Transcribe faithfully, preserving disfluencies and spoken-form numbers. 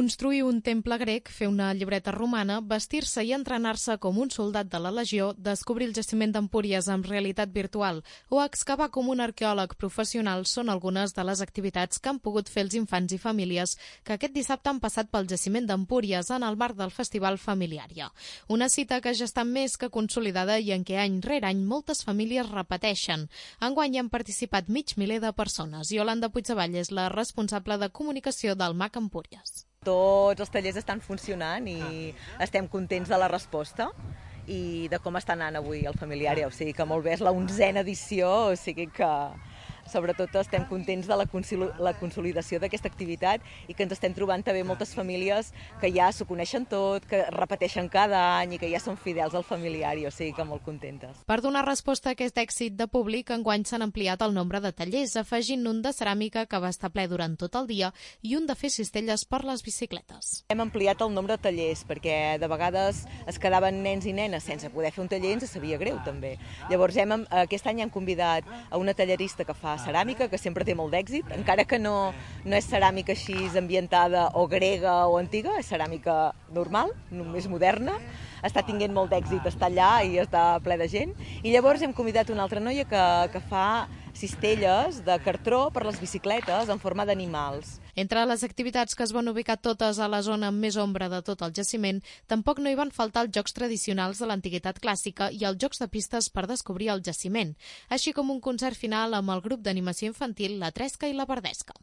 Construir un temple grec, fer una llibreta romana, vestir-se i entrenar-se com un soldat de la legió, descobrir el jaciment d'Empúries amb realitat virtual o excavar com un arqueòleg professional són algunes de les activitats que han pogut fer els infants i famílies que aquest dissabte han passat pel jaciment d'Empúries en el marc del Festival Familiària. Una cita que ja està més que consolidada i en què any rere any moltes famílies repeteixen. Enguany hi han participat mig miler de persones. Iolanda Puigdevall és la responsable de comunicació del M A C Empúries. Tots els tallers estan funcionant i estem contents de la resposta i de com està anant avui el Familiària. O sigui que molt bé, és la onzena edició, o sigui que sobretot estem contents de la consolidació d'aquesta activitat i que ens estem trobant també moltes famílies que ja s'ho coneixen tot, que repeteixen cada any i que ja són fidels al Familiària, o sigui que molt contentes. Per donar resposta a aquest èxit de públic, enguany s'han ampliat el nombre de tallers, afegint un de ceràmica que va estar ple durant tot el dia i un de fer cistelles per les bicicletes. Hem ampliat el nombre de tallers perquè de vegades es quedaven nens i nenes sense poder fer un taller i ens sabia greu també. Llavors hem, aquest any hem convidat a una tallerista que fa ceràmica, que sempre té molt d'èxit, encara que no, no és ceràmica així ambientada o grega o antiga, és ceràmica normal, més moderna, està tinguent molt d'èxit, està allà i està ple de gent. I llavors hem convidat una altra noia que, que fa cistelles de cartró per les bicicletes en forma d'animals. Entre les activitats que es van ubicar totes a la zona amb més ombra de tot el jaciment, tampoc no hi van faltar els jocs tradicionals de l'antiguitat clàssica i els jocs de pistes per descobrir el jaciment, així com un concert final amb el grup d'animació infantil La Tresca i la Verdesca.